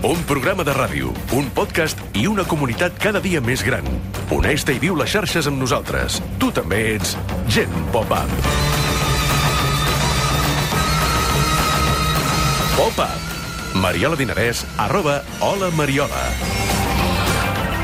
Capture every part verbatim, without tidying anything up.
Un programa de ràdio, un podcast i una comunitat cada dia més gran. Uneix-te i viu les xarxes amb nosaltres. Tu també ets Gent Pop-Up. Pop-Up. Mariola Dinarès, arroba Hola Mariola.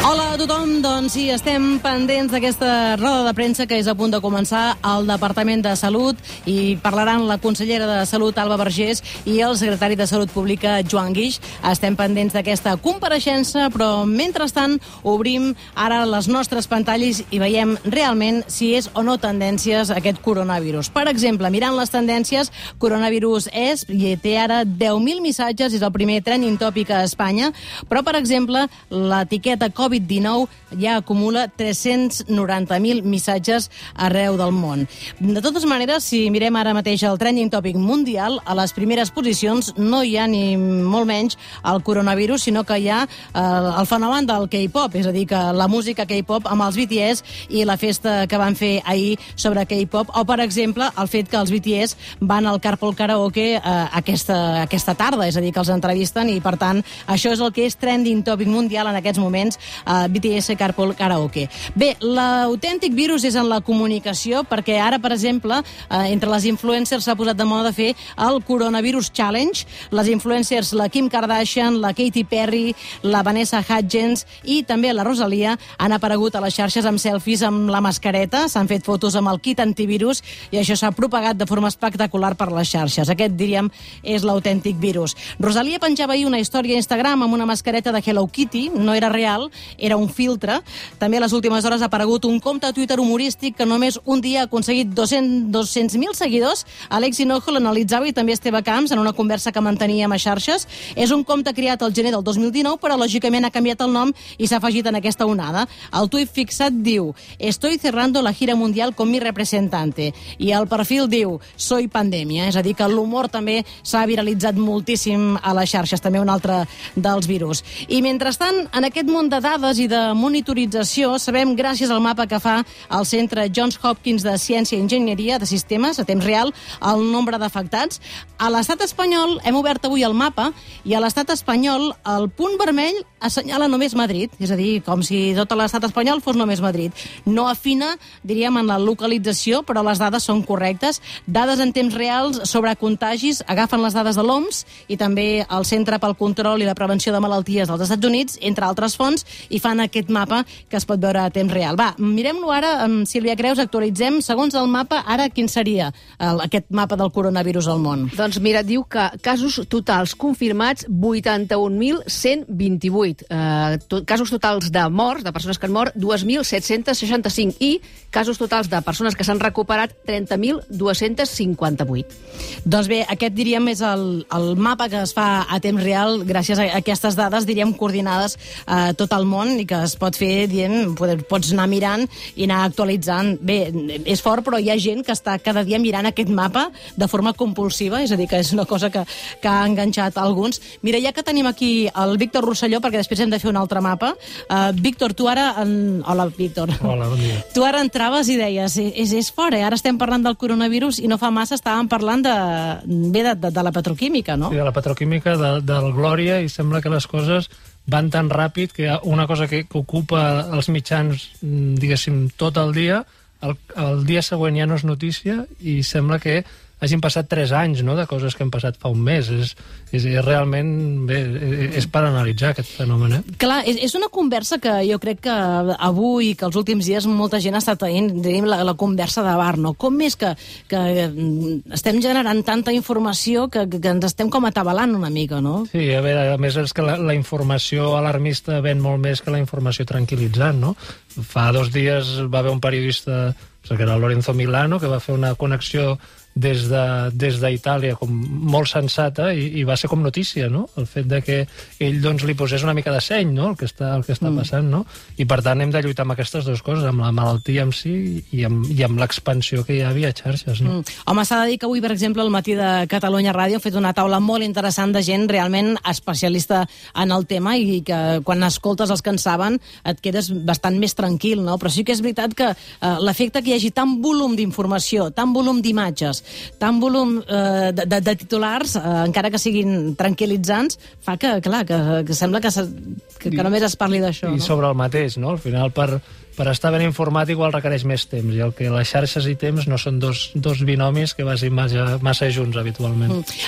Hola a tothom, doncs sí, estem pendents d'aquesta roda de premsa que és a punt de començar al Departament de Salut i parlaran la consellera de Salut, Alba Vergés, i el secretari de Salut Pública, Joan Guix. Estem pendents d'aquesta compareixença, però mentrestant obrim ara les nostres pantalles i veiem realment si és o no tendències aquest coronavirus. Per exemple, mirant les tendències, coronavirus és, i té ara deu mil missatges, és el primer trending topic a Espanya, però, per exemple, l'etiqueta covid dinou ja acumula tres-cents noranta mil missatges arreu del món. De totes maneres, si mirem ara mateix el trending topic mundial, a les primeres posicions no hi ha ni molt menys el coronavirus, sinó que hi ha eh, el fenomen del K-pop, és a dir, que la música K-pop amb els B T S i la festa que van fer ahir sobre K-pop, o, per exemple, el fet que els B T S van al Carpool Karaoke eh, aquesta, aquesta tarda, és a dir, que els entrevisten i, per tant, això és el que és trending topic mundial en aquests moments, Uh, B T S Carpool Karaoke. Bé, l'autèntic virus és en la comunicació, perquè ara, per exemple, uh, entre les influencers s'ha posat de moda de fer el Coronavirus Challenge. Les influencers, la Kim Kardashian, la Katy Perry, la Vanessa Hudgens i també la Rosalia han aparegut a les xarxes amb selfies amb la mascareta, s'han fet fotos amb el kit antivirus i això s'ha propagat de forma espectacular per les xarxes. Aquest, diríem, és l'autèntic virus. Rosalia penjava ahir una història a Instagram amb una mascareta de Hello Kitty, no era real, era un filtre. També a les últimes hores ha aparegut un compte a Twitter humorístic que només un dia ha aconseguit dos-cents mil seguidors. Alex Hinojo l'analitzava i també Esteve Camps en una conversa que manteníem a xarxes. És un compte creat al gener del dos mil dinou, però lògicament ha canviat el nom i s'ha afegit en aquesta onada. El tuit fixat diu: "Estoy cerrando la gira mundial con mi representante". I el perfil diu: "Soy pandèmia". És a dir, que l'humor també s'ha viralitzat moltíssim a les xarxes, també un altre dels virus. I mentrestant, en aquest munt de dades i de monitorització, sabem, gràcies al mapa que fa el Centre Johns Hopkins de Ciència i Enginyeria de Sistemes a temps real, el nombre d'afectats. A l'estat espanyol hem obert avui el mapa i a l'estat espanyol el punt vermell assenyala només Madrid, és a dir, com si tot l'estat espanyol fos només Madrid. No afina, diríem, en la localització, però les dades són correctes. Dades en temps reals sobre contagis agafen les dades de l'O M S i també el Centre pel Control i la Prevenció de Malalties dels Estats Units, entre altres fonts, i fan aquest mapa que es pot veure a temps real. Va, mirem-lo ara amb Sílvia Creus, actualitzem. Segons el mapa, ara quin seria el, aquest mapa del coronavirus al món? Doncs mira, diu que casos totals confirmats vuitanta-un mil cent vint-i-vuit. Eh, to, casos totals de morts, de persones que han mort, dos mil set-cents seixanta-cinc. I casos totals de persones que s'han recuperat, trenta mil dos-cents cinquanta-vuit. Doncs bé, aquest, diríem, és el, el mapa que es fa a temps real gràcies a aquestes dades, diríem, coordinades a eh, tot el món i que es pot fer, dient, pots anar mirant i anar actualitzant. Bé, és fort, però hi ha gent que està cada dia mirant aquest mapa de forma compulsiva, és a dir, que és una cosa que, que ha enganxat alguns. Mira, ja que tenim aquí el Víctor Rosselló, perquè després hem de fer un altre mapa. Uh, Víctor, tu ara... En... Hola, Víctor. Hola, bon dia. Tu ara entraves i deies, és, és fort, eh? Ara estem parlant del coronavirus i no fa massa estàvem parlant de, bé, de, de, de la petroquímica, no? Sí, de la petroquímica, de, del Glòria, i sembla que les coses van tan ràpid que una cosa que, que ocupa els mitjans, diguéssim, tot el dia, el, el dia següent ja no és notícia i sembla que hagin passat tres anys, no?, de coses que han passat fa un mes. És, és, és realment... Bé, és per analitzar aquest fenomen, eh? Clar, és, és una conversa que jo crec que avui, que els últims dies molta gent ha estat tenint, diríem, la, la conversa de bar, no? Com és que, que estem generant tanta informació que, que ens estem com atabalant una mica, no? Sí, a veure, a més és que la, la informació alarmista ven molt més que la informació tranquil·litzant, no? Fa dos dies va haver un periodista, que era Lorenzo Milano, que va fer una connexió des de, des d'Itàlia com molt sensata i, i va ser com notícia, no? El fet de que ell doncs li posés una mica de seny, no?, el que està, el que està mm. passant, no? I per tant hem de lluitar amb aquestes dues coses, amb la malaltia en si i amb, i amb l'expansió que hi ha via xarxes, no? Mm. Home, s'ha de dir que avui, per exemple, al matí de Catalunya Ràdio ha fet una taula molt interessant de gent realment especialista en el tema i que quan escoltes els que en saben et quedes bastant més tranquil, no? Però sí que és veritat que eh, l'efecte que hi hagi tant volum d'informació, tant volum d'imatges vegades tant volum eh, de, de, de titulars, eh, encara que siguin tranquil·litzants, fa que, clar, que, que sembla que, se, que, que només es parli d'això. I no? sobre el mateix, no? Al final, per, per estar ben informat igual requereix més temps, i el que les xarxes i temps no són dos, dos binomis que vagin massa, massa junts habitualment. Mm.